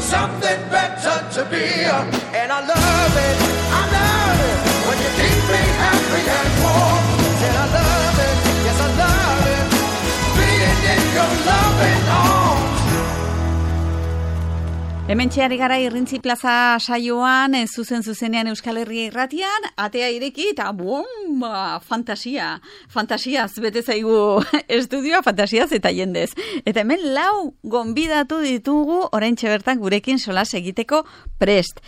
something better to be. And I love it when you keep me happy and warm. And I love it, yes I love it, being in your loving arms. Hemen txeari gara Irrintzi Plaza saioan, zuzenean Euskal Herria Irratian, atea ireki eta bomba, fantasiaz bete zaigu estudioa, fantasiaz eta jendez. Eta hemen 4 gonbidatu ditugu oraintxe bertan gurekin solas egiteko prest.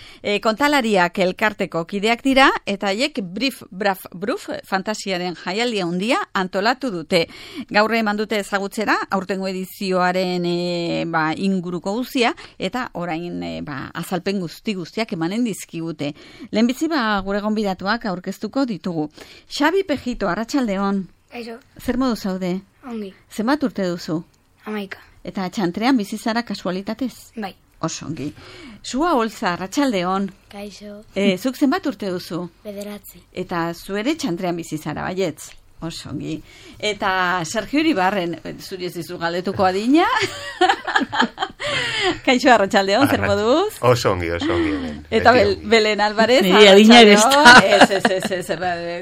Kontalariak elkarteko kideak dira, eta haiek Brief Braf Bruf fantasiaren jaialdia handia antolatu dute. Gaur eman dute ezagutzera, aurtengo edizioaren inguruko guztia, eta orain azalpen guztiak emanen dizkigute. Lehenbizi gure gonbidatuak aurkeztuko ditugu. Xabi Pejito, arratsaldeon. Kaixo. Zer modu zaude? Ongi. Zenbat urte duzu? 11. Eta txantrean bizi zara kasualitatez? Bai. Oso ongi. Sua Olza, arratsaldeon. Kaixo. Zuk zenbat urte duzu? 9. Eta zu ere txantrean bizi zara, baietz? Oso ongi. Eta Sergio Iribarren, zuri ez dizu galdetuko adina. Kaixo, arratsaldeon, zer moduz? Oso ongi. Eta Belen Alvarez. Niri adina besta. Ez.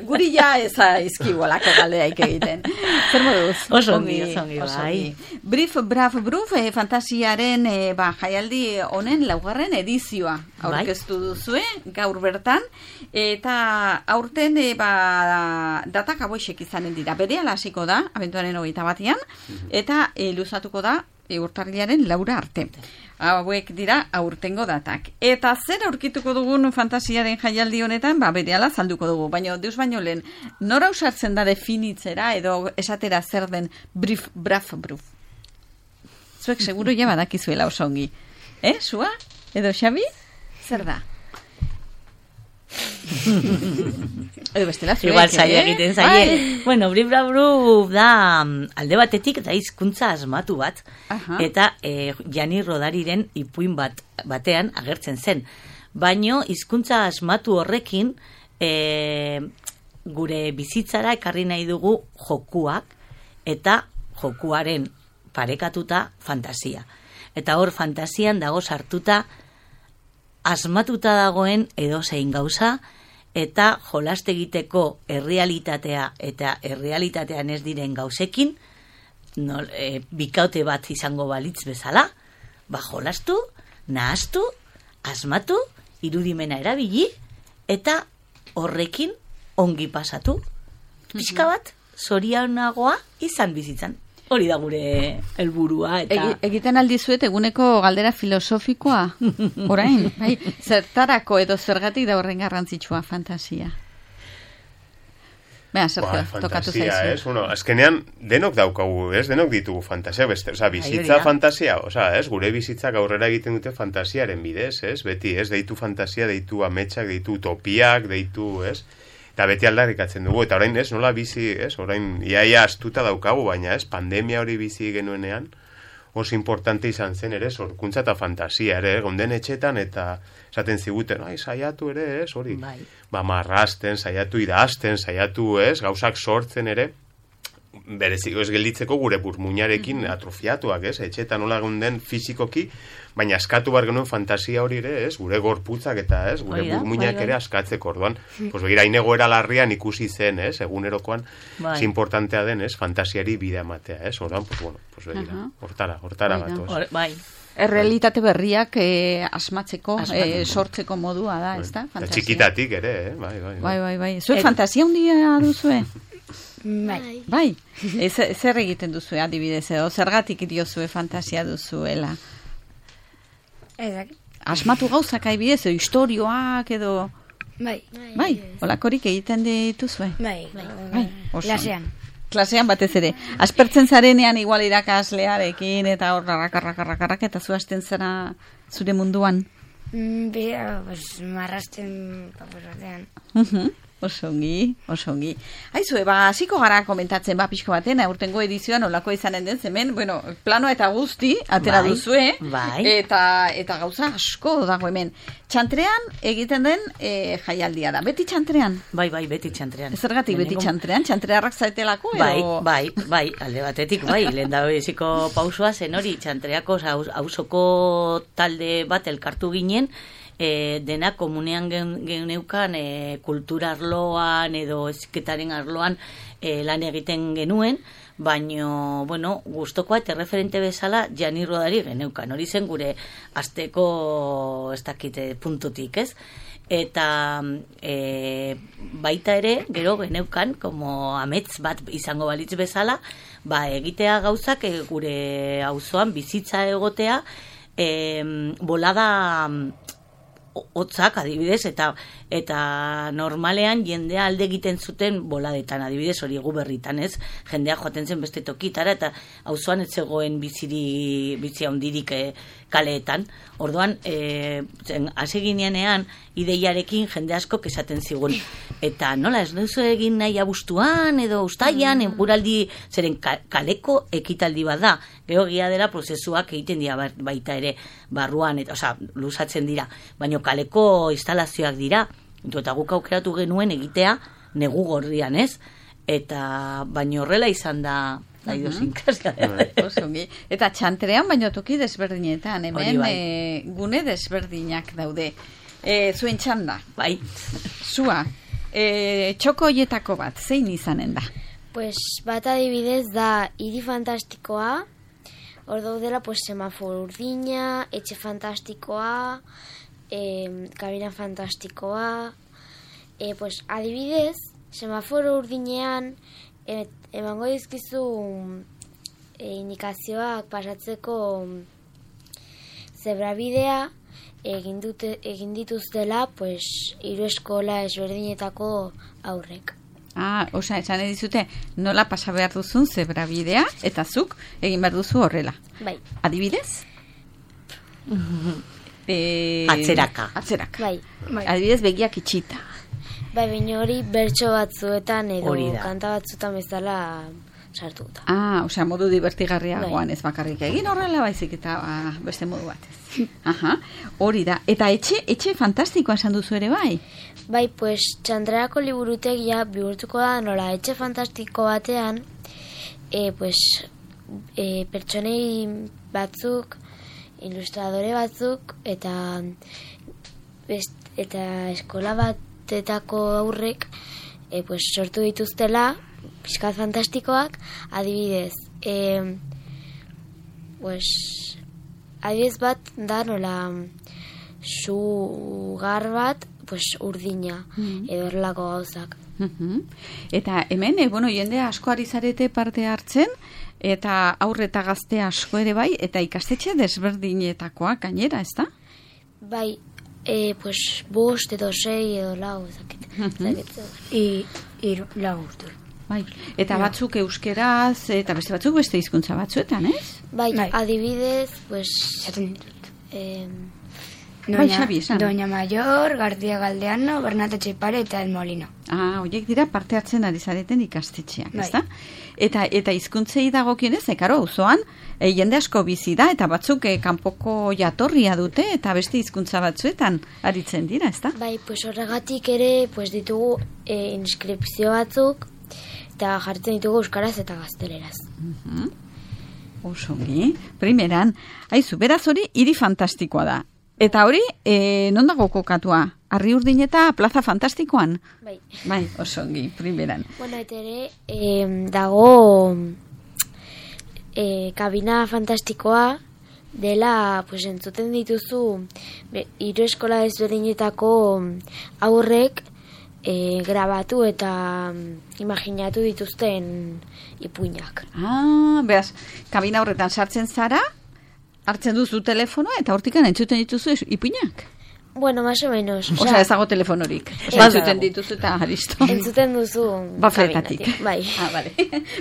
Guri ja eza izkibolako galdeaik egiten. Zer moduz? Oso ongi, bai. Brief Braf Bruf fantasiaren jaialdi honen 4. edizioa aurkeztu duzue, gaur bertan. Eta aurten datak aboixek izanen dira. Berehala hasiko da, abenduaren 21, eta luzatuko da urtarrilaren 4 arte. Hauek dira aurtengo datak. Eta zer aurkituko dugun fantasiaren jaialdi honetan, berehala salduko dugu. Baina deus baino lehen, nora usartzen da definitzera edo esatera zer den Brief Braf Bruf? Zuek seguru ja badakizuela oso ongi. Sua? Edo Xabi? Zer da? Edo bestela zuek. Igual zaila egiten zaie. Bueno, Brief Braf Bruf da alde batetik da hizkuntza asmatu bat. Eta Jani Rodariren ipuin batean agertzen zen. Baino hizkuntza asmatu horrekin gure bizitzara ekarri nahi dugu jokuak eta jokuaren parekatuta fantasia. Eta hor fantasian dago sartuta asmatuta dagoen edozein gauza eta jolaste egiteko errealitatea eta errealitatean ez diren gauzekin bikaute bat izango balitz bezala, jolastu, nahastu, asmatu, irudimena erabili eta horrekin ongi pasatu. Pixka bat, zorionagoa izan bizitzan. Hori da gure helburua eta egiten aldizuet eguneko galdera filosofikoa. Orain, zertarako edo zergatik da horren garrantzitsua fantasia. Sergio, tokatu zaizu. Azkenean denok daukagu, denok ditugu fantasia, bizitza fantasia, gure bizitzak aurrera egiten dute fantasiaren bidez, beti, deitu fantasia, deitu ametsak, deitu utopiak, deitu, eta beti aldarrikatzen dugu, eta orain nola bizi, orain iaia astuta daukagu, baina pandemia hori bizi genuenean, oso importante izan zen sorkuntza eta fantasia gonden etxetan, eta esaten ziguten, saiatu hori, marrasten, saiatu idazten, saiatu gauzak sortzen bereziko ez gelditzeko gure burmuinarekin atrofiatuak, etxetan nola gonden fizikoki, baina askatu bar genuen fantasia hori gure gorputzak eta gure burmuinak ere askatzeko orduan. Begira, inegoera larrian ikusi zen, egunerokoan, importantea den, fantasiari bide ematea, orduan, begira, hortara gatoz. Errealitate berriak asmatzeko, sortzeko modua da, ez da? Txikitatik ere, bai. Zuek fantasia handia duzue? Bai. Zer egiten duzue adibidez, edo zergatik diozue fantasia duzuela? Asmatu gauzak adibidez, edo istorioak edo... Bai, holakorik egiten dituzue? Bai. Klasean batez ere. Aspertzen zarenean igual irakaslearekin eta hor rakarrak eta zu hasten zara zure munduan? Marrasten paper batean. Osongi. Aizu, hasiko gara komentatzen, pixko baten, aurtengo edizioan olako izanen den, hemen, bueno, plano eta guzti, atera duzue, eta gauza asko dago hemen. Txantrean egiten den jaialdia da. Beti txantrean? Bai, beti txantrean. Zergatik beti txantrean? Txantrearrak zaitelako? Edo... Bai, alde batetik, lehen da beziko pausua zen hori, txantreako hausoko talde bat elkartu ginen, dena komunean geneukan kultura arloan edo eziketaren arloan lan egiten genuen, baino, bueno, gustokoa eta referente bezala Jani Rodari geneukan. Hori zen gure asteko ez dakite puntutik, ez? Eta baita ere, gero geneukan, como amets bat izango balitz bezala, egitea gauzak gure auzoan bizitza egotea, bolada hotzak adibidez, eta normalean jendea alde egiten zuten boladetan, adibidez hori Guberritan, ez? Jendea joaten zen beste tokitara, eta auzoan ez zegoen bizi handirik kaleetan. Orduan, hasi ginean ideiarekin jende asko esaten zigun. Eta nola, ez duzu egin nahi abuztuan edo ustaian, guraldi, zeren kaleko ekitaldi bat da. Gero egia dela prozesuak egiten dira baita ere barruan, luzatzen dira. Baina kaleko instalazioak dira, eta guk aukeratu genuen egitea negu gorrian, ez? Eta baina horrela izan da idiosinkrazia. Eta txantrean baino toki desberdinetan, hemen gune desberdinak daude. Zuen txanda? Bai. Zua, txoko hoietako bat, zein izanen da? Pues bat adibidez da hiri fantastikoa, hor daudela semaforo urdina, etxe fantastikoa, kabina fantastikoa, adibidez, semaforo urdinean emango dizkizu indikazioak pasatzeko zebrabidea egin dituztela hiru eskola ezberdinetako aurrek. Esan edizute nola pasa behar duzun zebrabidea eta zuk egin behar duzu horrela. Bai. Adibidez? Atzeraka. Bai. Adibidez begiak itxita. Bai, baina hori bertso batzuetan edo kanta batzuetan bezala sartuta. Modu divertigarriagoan ez bakarrik egin horrela baizik eta beste modu batez. Hori da. Eta etxe fantastikoa esan duzu ere bai? Bai, txantreako liburutegia bihurtuko da nola etxe fantastiko batean pertsonei batzuk, ilustradore batzuk eta eskola batetako aurrek sortu dituztela pixkat fantastikoak, adibidez adibidez bat da nola sugar bat urdina edo horrelako gauzak. Eta hemen, jende asko ari zarete parte hartzen, eta aurre eta gazte asko ere bai, eta ikastetxe desberdinetakoak gainera, ez da? Bai, bost edo 6 edo lau, lau urte. Bai, eta batzuk euskeraz, eta beste batzuk beste hizkuntza batzuetan, ez? Bai, adibidez, Doña Mayor, García Galdeano, Bernat Etxepare eta El Molino. Horiek dira parte hartzen ari zareten ikastetxeak, ez da? Eta hizkuntzei dagokionez, karo, auzoan jende asko bizi da, eta batzuk kanpoko jatorria dute, eta beste hizkuntza batzuetan aritzen dira, ez da? Bai, horregatik ere ditugu inskripzio batzuk, eta jartzen ditugu euskaraz eta gazteleraz. Osongi, primeran, beraz hori hiri fantastikoa da. Eta hori, non dago kokatua? Arri Urdin eta Plaza Fantastikoan? Bai. Bai, osongi, primeran. Bueno, eta ere, dago kabina fantastikoa dela, entzuten dituzu, hiru eskola ezberdinetako aurrek grabatu eta imaginatu dituzten ipuinak. Beraz, kabina horretan sartzen zara, hartzen duzu telefonoa eta hortikan entzuten dituzu ipuinak? Bueno, más o menos. Osa, ez dago telefonorik. Entzuten dituzu eta listo. Entzuten duzu bafletatik. Bai. Vale.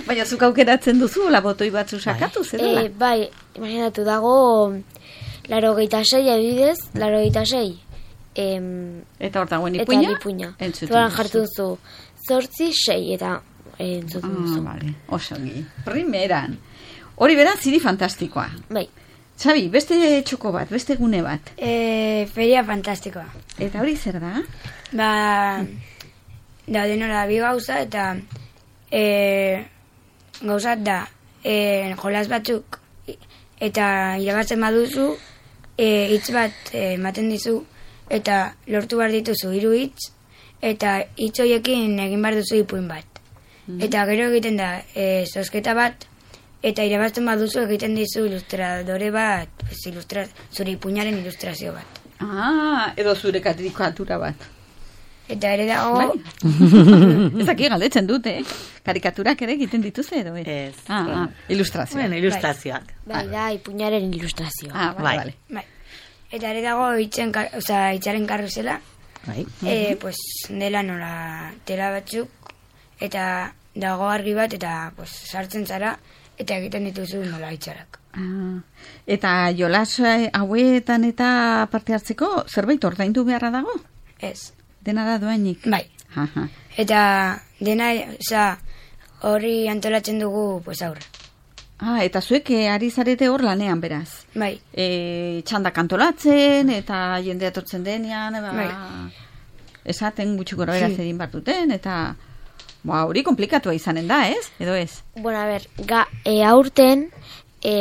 Baina zuk aukeratzen duzu, botoi batzu sakatu, zerela? Bai, imaginatu dago 86 adibidez, 86 Eta hor dagoen ipuina? Eta ipuina. Duan jartu duzu 8, 6 eta entzuten duzu. Vale, osongi. Primeran. Hori bera ziri fantastikoa. Bai. Xabi, beste txoko bat, beste gune bat. Feria fantastikoa. Eta hori zer da? Da denora bi gauza eta gauzat da jolas batzuk eta irabazten baduzu hitz bat ematen dizu eta lortu behar dituzu 3 hitz eta hitz horiekin egin behar duzu ipuin bat. Eta gero egiten da zozketa bat eta irabazten baduzu egiten dizu ilustradore bat, zure ipuinaren ilustrazio bat. Edo zure karikatura bat. Eta ere dago... Ez aki galdetzen dute, karikaturak ere egiten dituzte edo? Ez. Ilustrazioak. Bueno, ilustrazioak. Bai, da, ipuinaren ilustrazioa. Vale. Eta ere dago hitzaren karrusela, pues dela nola tela batzuk, eta dago argi bat, eta pues sartzen zara, eta egiten dituzu nola hitzarak. Eta jolas hauetan eta parte hartzeko zerbait ordaindu beharra dago? Ez. Dena da doainik? Bai. Eta dena, hori antolatzen dugu, pues aurre. Eta zuek ari zarete hor lanean, beraz? Bai. Txandak antolatzen, eta jende atortzen denean, esaten gutxi gora beraz egin bat duten, eta hori komplikatua izanen da, ez? Edo ez? Bueno, a ber, aurten,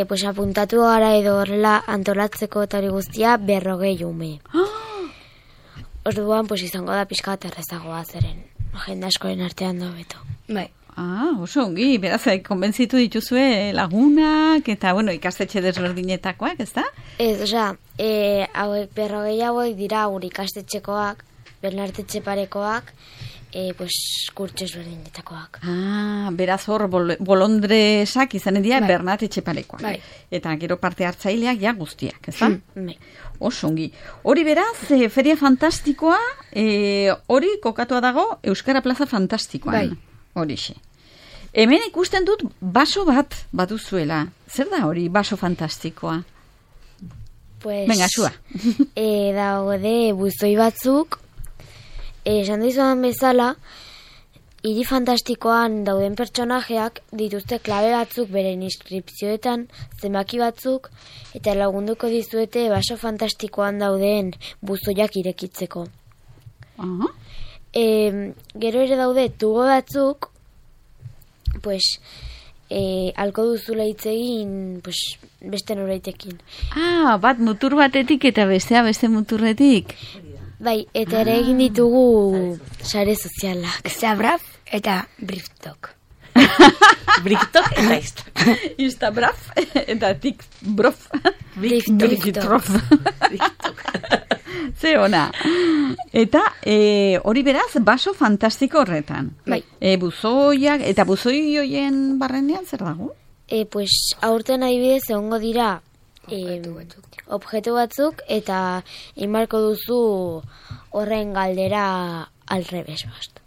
pues apuntatu gara edo horrela antolatzeko eta hori guztia 40 ume. Orduan, pues izango da pixka bat errezagoa zeren. Agenda askoren artean da beto. Bai. Oso ongi, beraz, konbentzitu dituzue lagunak, eta, bueno, ikastetxe desberdinetakoak, ez da? Ez, osea, hauek 40 hauek dira gure ikastetxekoak, Bernartetxe parekoak, pues, kurtso desberdinetakoak. Beraz hor, bolondresak izanen dira Bernartetxe parekoak. Bai. Eta gero parte hartzaileak ja guztiak, ez da? Bai. Oso ongi. Hori beraz, feria fantastikoa, hori kokatua dago Euskara Plaza Fantastikoan. Bai. Horixe. Hemen ikusten dut baso bat baduzuela. Zer da hori baso fantastikoa? Pues, venga, zua. Daude buzoi batzuk, esan dizuan bezala, hiri fantastikoan dauden pertsonajeak dituzte klabe batzuk beren inskripzioetan, zenbaki batzuk, eta lagunduko dizuete baso fantastikoan dauden buzoiak irekitzeko. Gero ere daude tubo batzuk, pues, alko duzula hitz egin, pues, beste noraitekin. Bat mutur batetik eta bestea beste muturretik. Bai, eta ere egin ditugu sare sozialak. Zabraf eta Briftok. Briftok eta Instabraf eta Tikbrof. Briftok. Ze ona. Eta hori beraz, baso fantastiko horretan. Bai. Buzoiak, eta buzoi hoien barrenean zer dago? Pues, aurten adibidez egongo dira objektu batzuk, eta imarko duzu horren galdera alrebes bast.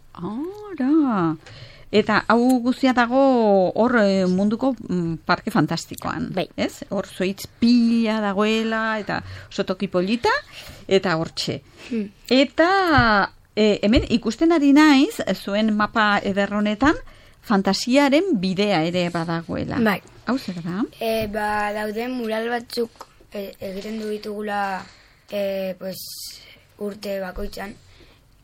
Eta hau guztia dago hor munduko parke fantastikoan. Bai. Ez? Hor zoitz pila dagoela, eta sotoki polita, eta hortxe. Eta hemen ikusten ari naiz, zuen mapa ederronetan, fantasiaren bidea ere badagoela. Bai. Hau zer da? Dauden mural batzuk egiten du ditugula pues, urte bakoitzan,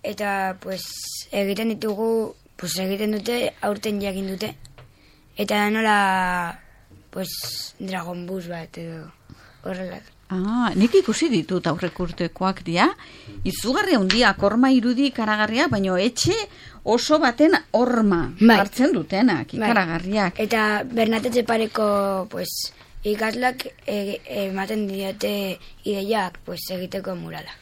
eta pues, egiten ditugu, pues, egiten dute, aurten jakin dute, eta nola pues, Dragon Bus bat edo horrela. Nik ikusi ditut aurrek urtekoak dira, izugarri handiak, horma irudi ikaragarriak, baina etxe oso baten horma hartzen dutenak, ikaragarriak. Eta Bernartetxe pareko pues, ikaslak ematen diote ideiak pues, egiteko murala.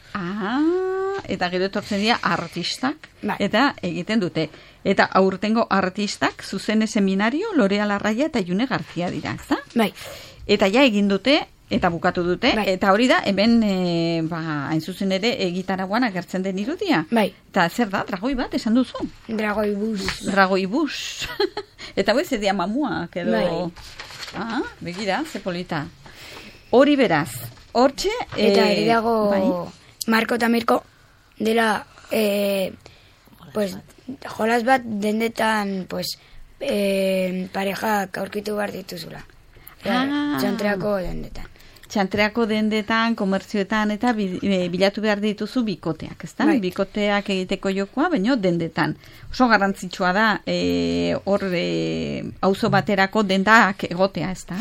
Eta gero etortzen dira artistak, eta egiten dute. Eta aurtengo artistak, zuzene seminario, Lorea Larraia eta June Garzia dira, ezta? Bai. Eta ja egin dute, eta bukatu dute, eta hori da, hemen, hain zuzen ere, egitaragoan agertzen den irudia. Bai. Eta zer da, dragoi bat, esan duzu? Dragoi bus. Dragoi bus. Eta hori zedia mamuak, edo... Begira, ze polita. Hori beraz, hortxe... Eta ere dago Marko eta Mirko, dela pues jolas bat dendetan pues parejak aurkitu behar dituzula. Txantreako dendetan. Txantreako dendetan, komertzioetan eta bilatu behar dituzu bikoteak, ezta? Bai. Bikoteak egiteko jokoa, baino dendetan. Oso garrantzitsua da hor auzo baterako dendak egotea, ezta?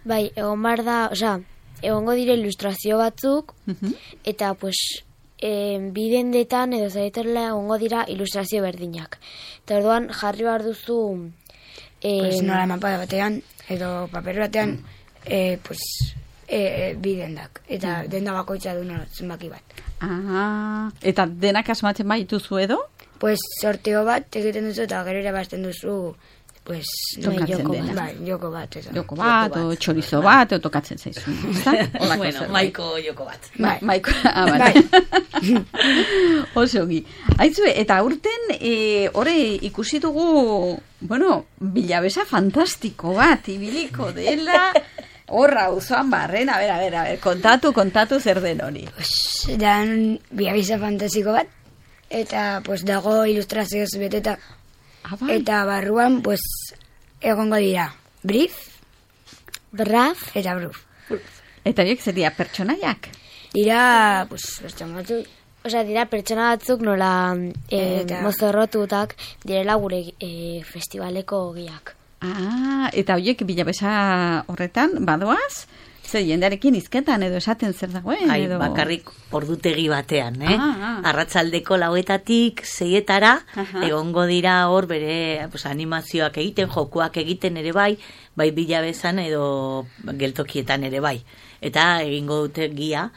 Bai, egon behar da, egongo dire ilustrazio batzuk, eta pues bi dendetan edo zareterla egongo dira ilustrazio berdinak. Eta orduan jarri behar duzu Pues nola mapa batean edo paper batean bi dendak. Eta denda bakoitza du zenbaki bat. Eta denak asmatzen baituzu edo? Pues sorteo bat egiten duzu eta gero irabazten duzu pues joko bat. Joko bat, o txorizo bat, o tokatzen zaizu. Bueno, maiko joko bat. Maiko, bai. Oso gi. Aitzue, eta aurten hori ikusi dugu, bueno, bilabesa fantastiko bat, ibiliko dela, horra auzoan barren, a ver, kontatu zer den hori. Pues, dan bilabesa fantastiko bat, eta pues dago ilustrazioz beteta. Eta barruan, pues, egongo dira Brief, Braf eta Bruf. Eta horiek seria pertsonaiak? Dira, pues, pertsona batzuk. Dira pertsona batzuk nola mozorrotutak direla gure festivaleko giak. Eta horiek bilabesa horretan, badoaz? Zer, jendearekin izketan edo esaten zer dagoen? Edo... bakarrik ordutegi batean, Arratsaldeko 4:00 6:00 egongo dira hor bere animazioak egiten, jokuak egiten ere bai bilabesan edo geltokietan ere bai. Eta egingo dute gia,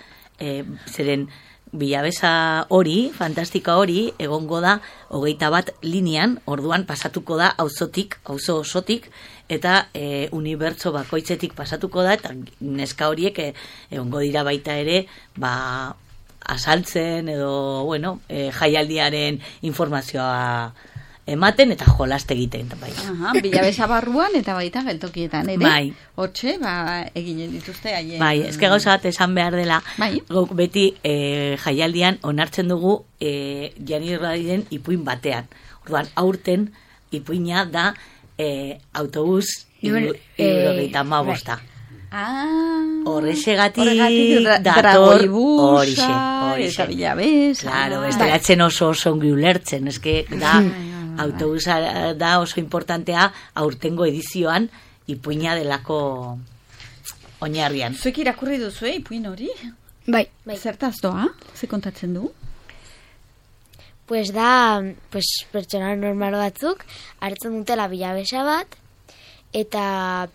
zeren bilabesa hori, fantastika hori, egongo da 21 linean, orduan pasatuko da auzo osotik, eta unibertso bakoitzetik pasatuko da, eta neska horiek egongo dira baita ere, azaltzen edo, bueno, jaialdiaren informazioa ematen eta jolaste egiten. Bai. Bilabesa barruan eta baita geltokietan, ere? Bai. Hortxe, eginen dituzte haien. Bai, ezke gauza bat esan behar dela, guk beti jaialdian onartzen dugu Jani Irradiren ipuin batean. Orduan, aurten ipuina da autobus 75. Horrexegatik dator horixe. Eta bilabesa. Claro, bestelatzen oso ongi ulertzen, eske da autobusa da oso importantea aurtengo edizioan ipuina delako oinarrian. Zuek irakurri duzu ipuin hori? Bai. Zertaz doa? Ze kontatzen du? Pues da, pertsona normal batzuk hartzen dutela bilabesa bat eta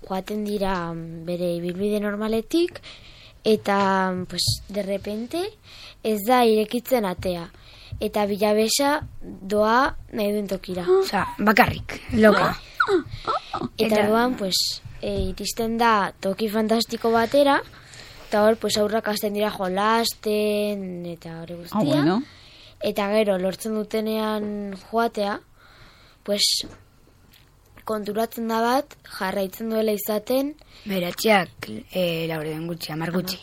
joaten dira bere ibilbide normaletik eta de repente ez da irekitzen atea. Eta bilabesa doa nahi duen tokira. Bakarrik, loka. Eta doan, iristen da toki fantastiko batera, eta hor, aurrak hasten dira jolasten, eta hori guztia. Bueno. Eta gero, lortzen dutenean joatea, konturatzen da bat, jarraitzen duela izaten. Beratxeak, laurden gutxi, 10 gutxi.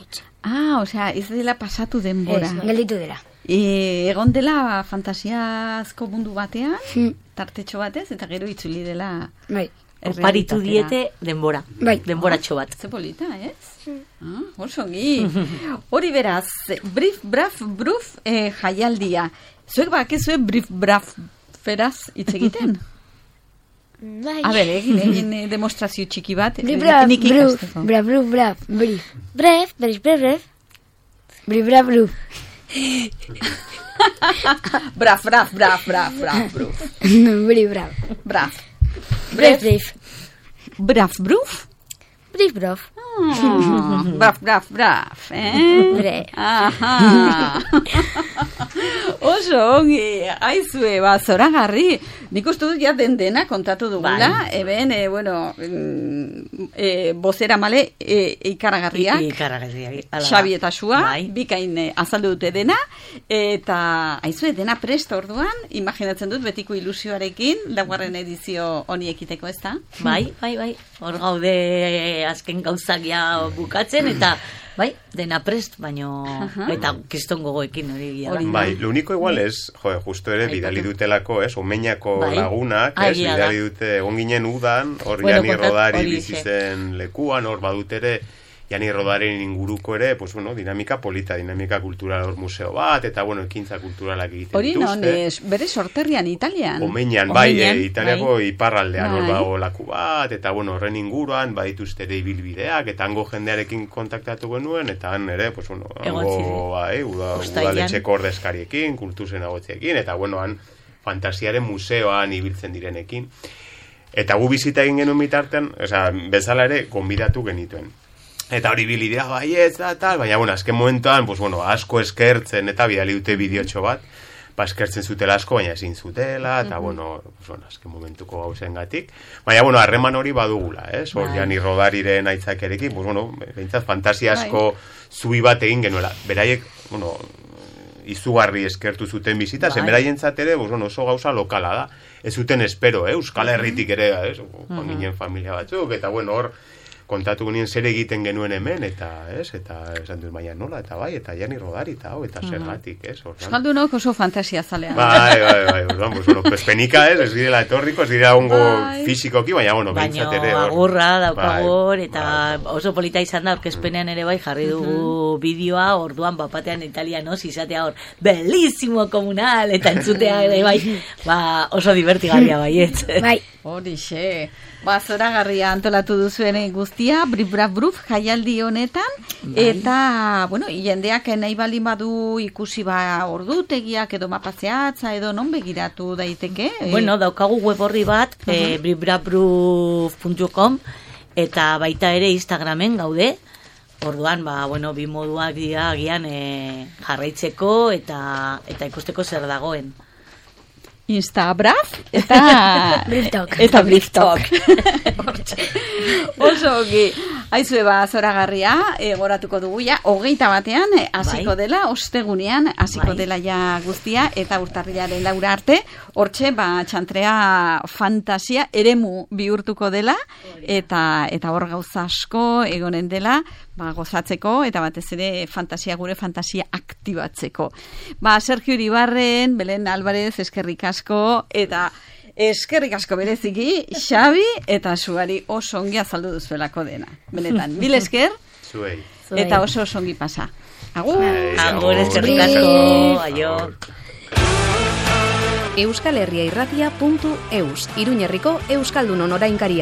Osea, ez dela pasatu denbora. Gelditu dela. Egon dela fantasiazko mundu batean, tartetxo batez, eta gero itzuli dela... Bai. Oparitu diete denbora. Bai. Denboratxo bat. Ze polita, ez? Orsongi. Hori beraz, Brief, Braf, Bruf jaialdia. Zuek bakezue Brief, Braf, feraz hitz egiten? Bai. A ber, egin demostrazio txiki bat. Brif, braf, bruf, braf, bruf, braf, brif. Bref, bref, bref, bref. Brif, braf, bruf. Braf, braf, braf, braf, braf, bruf. Brif, braf. Braf. Bref, bref. Braf, bruf? Brif, brof. Braf, braf, braf, Bre. Oso ongi, aizue, zoragarri. Nik uste dut ja dena kontatu dugula, eben, bozera male ikaragarriak. Xabi eta Xua, bikain azaldu dute dena, eta aizue, dena prest orduan, imaginatzen dut betiko ilusioarekin, laugarren edizio honi ekiteko, ez da? Bai, hor gaude azken gauzak ja bukatzen, eta bai, dena prest, baino, eta kiston gogoekin hori gira. Bai, lo único igual es, justo ere, bidali dutelako, omenako lagunak, bidali dute, egon ginen udan, hor Jani Rodari bizitzen lekuan, hor badut ere, Jani Rodaren inguruko ere, pues bueno, dinamika polita, dinamika kultural hor museo bat, eta bueno, ekintza kulturalak egiten dituzte. Hori non, bere sorterrian Italian. Omeñan, bai, Italiako iparraldean hor dago laku bat, eta bueno, horren inguruan, badituzte ere ibilbideak, eta hango jendearekin kontaktatu genuen, eta han ere, pues bueno, hango, bai, udaletxeko ordezkariekin, kultuzen agotziekin, eta bueno, han fantasiaren museoan ibiltzen direnekin. Eta gu bizita egin genuen bitartean, bezala ere, gonbidatu genituen. Eta hori bilidea baietz da, tal, baina, bueno, azken momentuan, pues, bueno, asko eskertzen, eta bidali dute bideotxo bat, eskertzen zutela asko, baina ezin zutela, eta, bueno, azken momentuko gauzen gatik. Baina, bueno, harreman hori badugula, hor Jani Rodariren aitzakerekin, pues, bueno, behintzat fantasia asko zubi bat egin genuela. Beraiek, bueno, izugarri eskertu zuten bizita, zen beraientzat ere, pues, bueno, oso gauza lokala da. Ez zuten espero, Euskal Herritik ere, ginen familia batzuk, eta, bueno, hor, kontatu genien zer egiten genuen hemen, eta esan dut baina nola, eta bai, eta Jani Rodari, eta zergatik, Euskaldunok oso fantasia zalean. Bai, pues penika, ez direla etorriko, ez direla ongo fizikoki, baina, bueno, behintzat ere. Baina, agurra, daukagor, eta oso polita izan da, orkezpenean ere bai, jarri dugu bideoa, orduan, bapatean italianos, izatea hor, bellissimo komunal, eta entzutea ere bai, oso divertigarria baiet. Bai. Horixe. Zoragarria antolatu duzuen guztia, brif jaialdi honetan, eta, bueno, jendeak nahi baldin badu ikusi ordutegiak edo mapazeatza edo non begiratu daiteke? Bueno, daukagu web horri bat, brifbraf.com, eta baita ere Instagramen gaude, orduan, bueno, bi moduak dira agian jarraitzeko eta ikusteko zer dagoen. Instabraf eta Briftok. Oso ongi. Aizue zoragarria, goratuko dugu ja, 21 hasiko dela, ostegunean hasiko dela ja guztia, eta urtarrilaren 4 arte, hortxe, txantrea fantasia eremu bihurtuko dela, eta hor gauza asko egonen dela, gozatzeko, eta batez ere gure fantasia aktibatzeko. Sergio Iribarren, Belen Alvarez, eskerrik asko, eta eskerrik asko bereziki, Xabi, eta zuari oso ongi azaldu duzuelako dena. Benetan, mil esker, eta oso ongi pasa. Agur! Agur, eskerrik asko, aio! euskalherriairratia.eus, Iruñerriko Euskaldunon orainkaria.